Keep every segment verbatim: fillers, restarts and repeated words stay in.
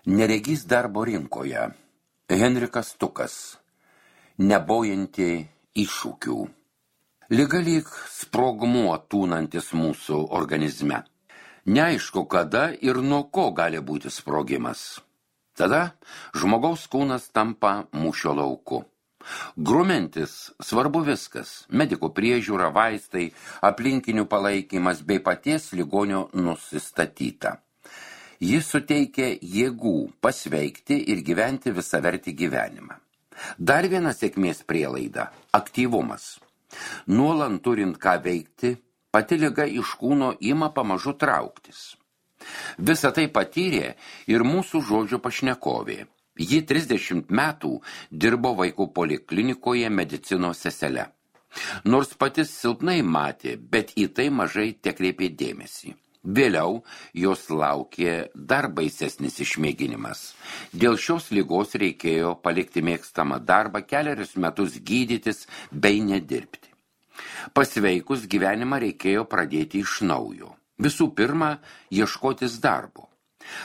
Neregys darbo rinkoje. Henrikas Tukas. Nebojanti iššūkių. Liga lyg sprogmuo tūnantis mūsų organizme. Neaišku, kada ir nuo ko gali būti sprogimas. Tada žmogaus kūnas tampa mūšio lauku. Grumentis svarbu viskas – medikų priežiūra, vaistai, aplinkinių palaikymas bei paties ligonio nusistatyta. Jis suteikia jėgų pasveikti ir gyventi visavertį gyvenimą. Dar viena sėkmės prielaida – aktyvumas. Nuolant turint ką veikti, pati liga iš kūno ima pamažu trauktis. Visą tai patyrė ir mūsų žodžio pašnekovė. Ji trisdešimt metų dirbo vaikų poliklinikoje medicinos sesele. Nors patys silpnai matė, bet į tai mažai tekreipė dėmesį. Vėliau jos laukė dar baisesnis išmėginimas. Dėl šios ligos reikėjo palikti mėgstamą darbą, kelerius metus gydytis bei nedirbti. Pasveikus gyvenimą reikėjo pradėti iš naujo. Visų pirma, ieškotis darbo.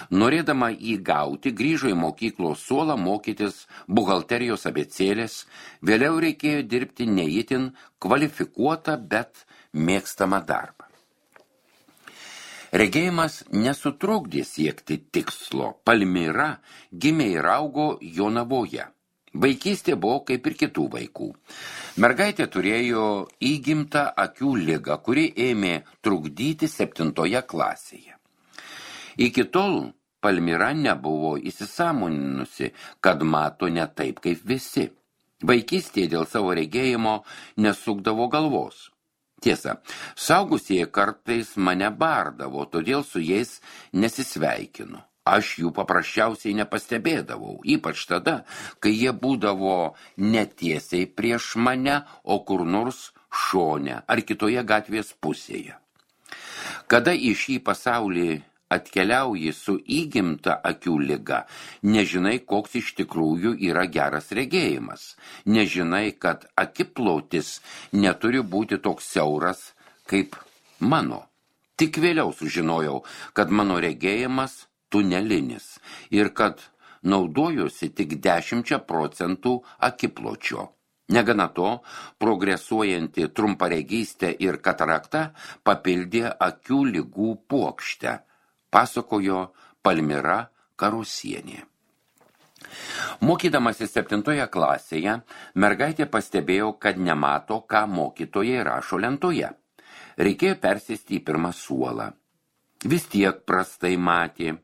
Norėdama jį gauti, grįžo į mokyklos suolą mokytis buhalterijos abėcėlės, vėliau reikėjo dirbti ne itin kvalifikuotą, bet mėgstamą darbą. Regėjimas nesutrukdė siekti tikslo. Palmira gimė ir augo Jonavoje. Vaikystė buvo kaip ir kitų vaikų. Mergaitė turėjo įgimtą akių ligą, kuri ėmė trukdyti septintoje klasėje. Iki tol Palmira nebuvo įsisąmoninusi, kad mato ne taip kaip visi. Vaikystėje dėl savo regėjimo nesukdavo galvos. Tiesa, saugusieji kartais mane bardavo, todėl su jais nesisveikinu. Aš jų paprasčiausiai nepastebėdavau, ypač tada, kai jie būdavo netiesiai prieš mane, o kur nors šone ar kitoje gatvės pusėje. Kada į šį pasaulį atkeliauji su įgimta akių liga, nežinai, koks iš tikrųjų yra geras regėjimas. Nežinai, kad akiplotis neturi būti toks siauras kaip mano. Tik vėliau sužinojau, kad mano regėjimas tunelinis ir kad naudojuosi tik dešimčia procentų akipločio. Negana to, progresuojanti trumparegystė ir katarakta papildė akių ligų puokštę, pasakojo Palmira Karusienė. Mokydamasi septintoje klasėje, mergaitė pastebėjo, kad nemato, ką mokytojai rašo lentoje. Reikėjo persėsti į pirmą suolą. Vis tiek prastai matė.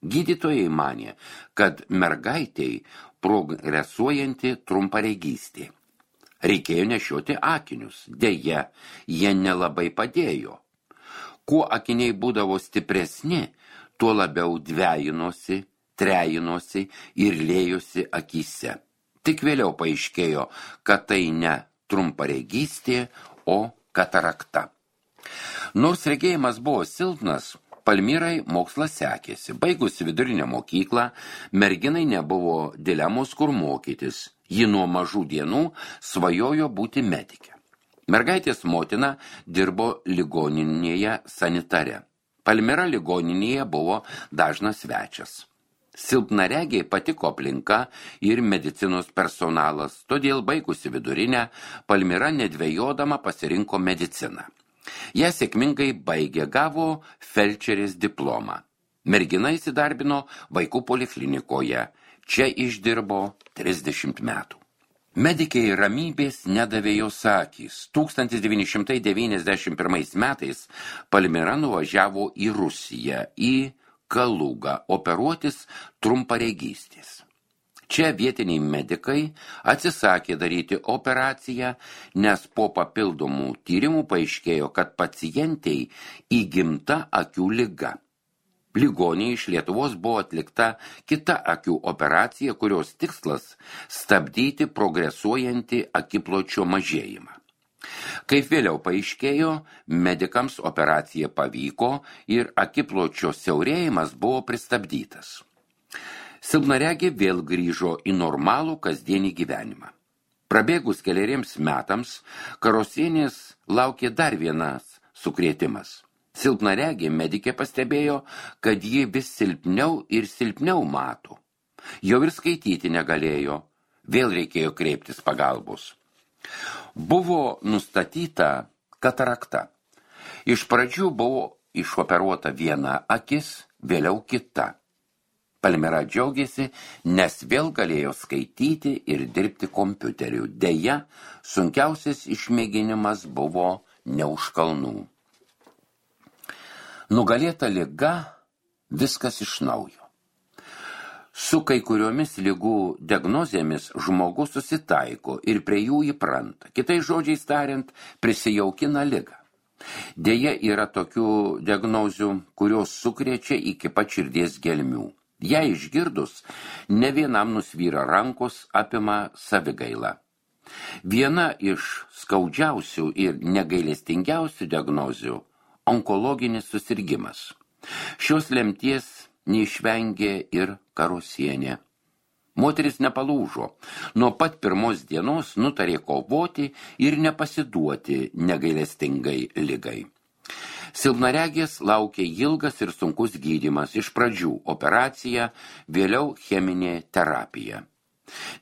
Gydytojai manė, kad mergaitei progresuojanti trumparegystė. Reikėjo nešioti akinius. Deja, jie nelabai padėjo. Kuo akiniai būdavo stipresni, tuo labiau dvejinosi, trejinosi ir lėjosi akyse. Tik vėliau paaiškėjo, kad tai ne trumparegystė, o katarakta. Nors regėjimas buvo silpnas, Palmirai mokslas sekėsi. Baigusi vidurinę mokyklą, merginai nebuvo dilemos, kur mokytis. Ji nuo mažų dienų svajojo būti medike. Mergaitės motina dirbo ligoninėje sanitare. Palmira ligoninėje buvo dažnas svečias. Silpnaregiai patiko aplinka ir medicinos personalas, todėl baigusi vidurinę, Palmira nedvejodama pasirinko mediciną. Ją sėkmingai baigė, gavo felčerės diplomą. Mergina įsidarbino vaikų poliklinikoje. Čia išdirbo trisdešimt metų. Medikei ramybės nedavė jos akys. tūkstantis devyni šimtai devyniasdešimt pirmais metais Palmira nuvažiavo į Rusiją, į Kalugą, operuotis trumparegystės. Čia vietiniai medikai atsisakė daryti operaciją, nes po papildomų tyrimų paaiškėjo, kad pacientei įgimta akių liga. Ligoniai iš Lietuvos buvo atlikta kita akių operacija, kurios tikslas stabdyti progresuojantį akipločio mažėjimą. Kaip vėliau paaiškėjo, medikams operacija pavyko ir akipločio siaurėjimas buvo pristabdytas. Silpnaregė vėl grįžo į normalų kasdienį gyvenimą. Prabėgus keleriems metams, Karusienės laukė dar vienas sukrėtimas. Silpnaregė medikė pastebėjo, kad ji vis silpniau ir silpniau mato. Jau ir skaityti negalėjo, vėl reikėjo kreiptis pagalbos. Buvo nustatyta katarakta. Iš pradžių buvo išoperuota viena akis, vėliau kita. Palmira džiaugiasi, nes vėl galėjo skaityti ir dirbti kompiuteriu. Deja, sunkiausias išmėginimas buvo ne už kalnų. Nugalėta liga, viskas iš naujo. Su kai kuriomis ligų diagnozėmis žmogus susitaiko ir prie jų įpranta. Kitais žodžiais tariant, prisijaukina ligą. Deja, yra tokių diagnozių, kurios sukrečia iki pat širdies gelmių. Ją išgirdus, ne vienam nusvyra rankos, apima savigaila. Viena iš skaudžiausių ir negailestingiausių diagnozių – onkologinis susirgimas. Šios lemties neišvengė ir Karosienė. Moteris nepalūžo. Nuo pat pirmos dienos nutarė kovoti ir nepasiduoti negailestingai ligai. Silpnaregės laukė ilgas ir sunkus gydymas, iš pradžių operacija, vėliau cheminė terapija.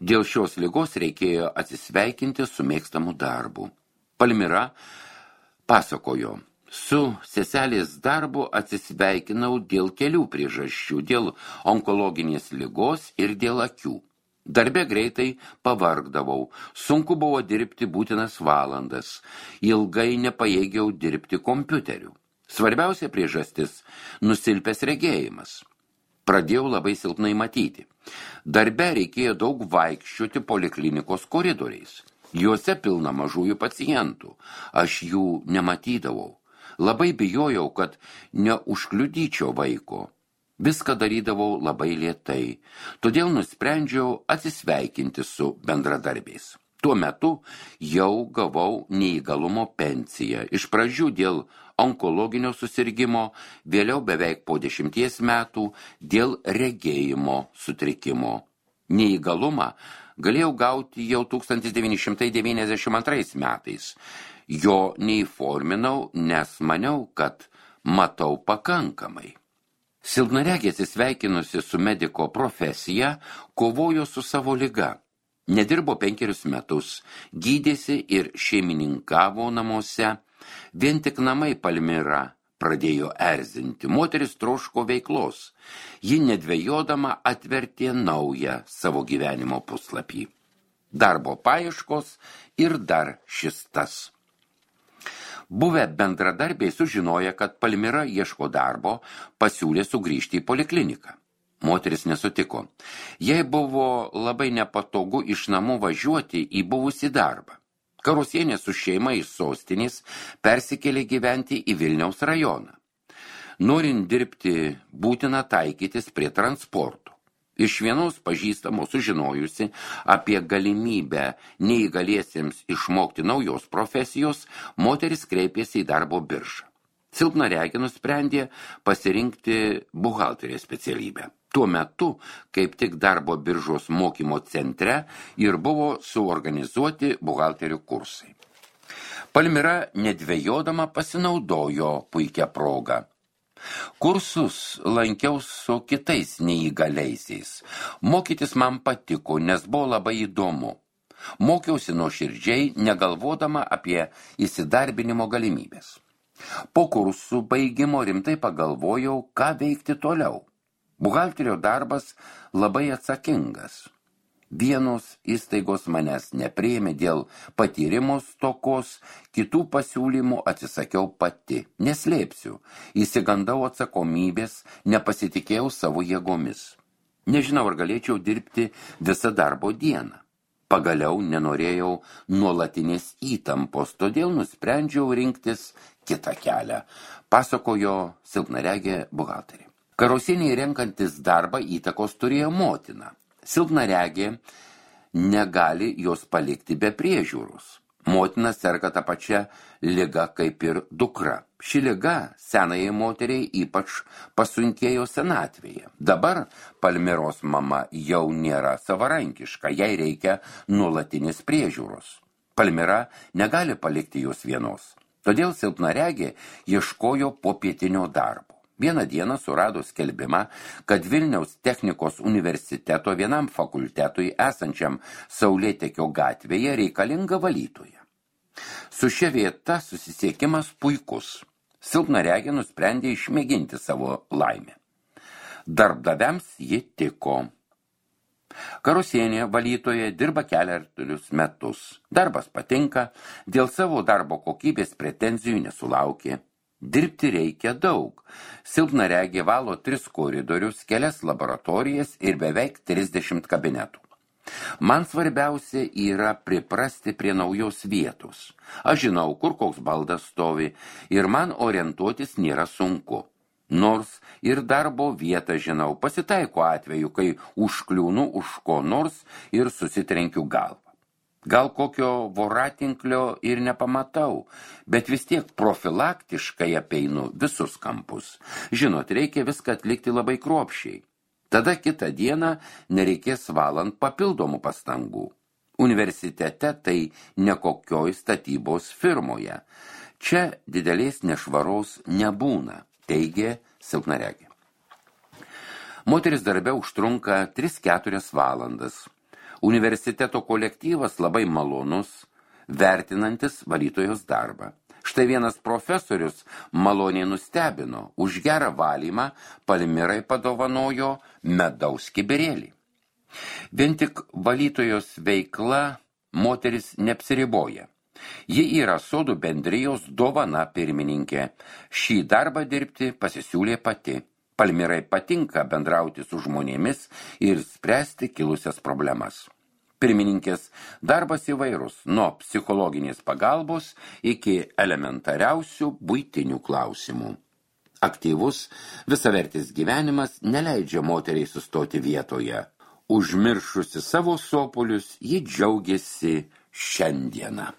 Dėl šios ligos reikėjo atsisveikinti su mėgstamu darbu. Palmira pasakojo, su seselės darbu atsisveikinau dėl kelių priežasčių, dėl onkologinės ligos ir dėl akių. Darbe greitai pavargdavau, sunku buvo dirbti būtinas valandas, ilgai nepajėgiau dirbti kompiuteriu. Svarbiausia priežastis – nusilpęs regėjimas. Pradėjau labai silpnai matyti. Darbe reikėjo daug vaikščioti poliklinikos koridoriais. Juose pilna mažųjų pacientų. Aš jų nematydavau. Labai bijojau, kad neužkliudyčiau vaiko. Viską darydavau labai lėtai. Todėl nusprendžiau atsisveikinti su bendradarbiais. Tuo metu jau gavau neįgalumo pensiją. Iš pradžių dėl onkologinio susirgimo, vėliau beveik po dešimties metų dėl regėjimo sutrikimo. Neįgalumą galėjau gauti jau tūkstantis devyni šimtai devyniasdešimt antrais metais. Jo neįforminau, nes maniau, kad matau pakankamai. Silpnaregė atsisveikinusi su mediko profesija, kovojo su savo liga. Nedirbo penkerius metus, gydėsi ir šeimininkavo namuose. Vien tik namai Palmira pradėjo erzinti. Moteris troško veiklos. Ji nedvejodama atvertė naują savo gyvenimo puslapį. Darbo paieškos ir dar šis tas. Buvę bendradarbiai sužinoja, kad Palmira ieško darbo, pasiūlė sugrįžti į polikliniką. Moteris nesutiko. Jai buvo labai nepatogu iš namų važiuoti į buvusį darbą. Karosienė su šeima iš sostinės persikėlė gyventi į Vilniaus rajoną. Norint dirbti, būtina taikytis prie transporto. Iš vienos pažįstamos sužinojusi apie galimybę neįgaliesiems išmokti naujos profesijos, moteris kreipėsi į darbo biržą. Silpnaregė nusprendė pasirinkti buhalterės specialybę. Tuo metu, kaip tik darbo biržos mokymo centre ir buvo suorganizuoti buhalterių kursai. Palmira nedvejodama pasinaudojo puikią progą. Kursus lankiau su kitais neįgaliaisiais. Mokytis man patiko, nes buvo labai įdomu. Mokiausi nuoširdžiai, negalvodama apie įsidarbinimo galimybės. Po kursų baigimo rimtai pagalvojau, ką veikti toliau. Buhalterio darbas labai atsakingas. Vienos įstaigos manęs nepriėmė dėl patyrimo stokos, kitų pasiūlymų atsisakiau pati. Neslėpsiu, įsigandau atsakomybės, nepasitikėjau savo jėgomis. Nežinau, ar galėčiau dirbti visą darbo dieną. Pagaliau nenorėjau nuolatinės įtampos, todėl nusprendžiau rinktis kitą kelią, pasakojo silpnaregė buhalterė. Karosienei renkantis darbą įtakos turėjo motina. Silpnaregė negali jos palikti be priežiūros. Motina serga tą pačią ligą kaip ir dukra. Ši liga senajai moteriai ypač pasunkėjo senatvėje. Dabar Palmiros mama jau nėra savarankiška, jai reikia nuolatinės priežiūros. Palmira negali palikti jos vienos. Todėl silpnaregė ieškojo popietinio darbo. Vieną dieną surado skelbimą, kad Vilniaus technikos universiteto vienam fakultetui esančiam Saulėtekio gatvėje reikalinga valytoja. Su šia vieta susisiekimas puikus. Silpnaregė nusprendė išmėginti savo laimę. Darbdaviams ji tiko. Karusienė valytoje dirba keliarius metus. Darbas patinka, dėl savo darbo kokybės pretenzijų nesulaukė. Dirbti reikia daug. Silpnaregė valo tris koridorius, kelias laboratorijas ir beveik trisdešimt kabinetų. Man svarbiausia yra priprasti prie naujos vietos. Aš žinau, kur koks baldas stovi ir man orientuotis nėra sunku. Nors ir darbo vietą žinau, pasitaiko atveju, kai užkliūnu už ko nors ir susitrenkiu galvą. Gal kokio voratinklio ir nepamatau, bet vis tiek profilaktiškai apeinu visus kampus. Žinot, reikia viską atlikti labai kruopščiai. Tada kitą dieną nereikės valant papildomų pastangų. Universitete tai ne kokioj statybos firmoje. Čia didelės nešvaros nebūna, teigė silpnaregė. Moteris darbe užtrunka tris keturias valandas. Universiteto kolektyvas labai malonus, vertinantis valytojos darbą. Štai vienas profesorius maloniai nustebino, už gerą valymą Palmirai padovanojo medaus kibirėlį. Vien tik valytojos veikla moteris neapsiriboja. Ji yra sodų bendrijos dovana pirmininkė. Šį darbą dirbti pasisiūlė pati. Palmirai patinka bendrauti su žmonėmis ir spręsti kilusias problemas. Pirmininkės darbas įvairus, nuo psichologinės pagalbos iki elementariausių buitinių klausimų. Aktyvus, visavertis gyvenimas neleidžia moteriai sustoti vietoje. Užmiršusi savo sopulius, ji džiaugiasi šiandieną.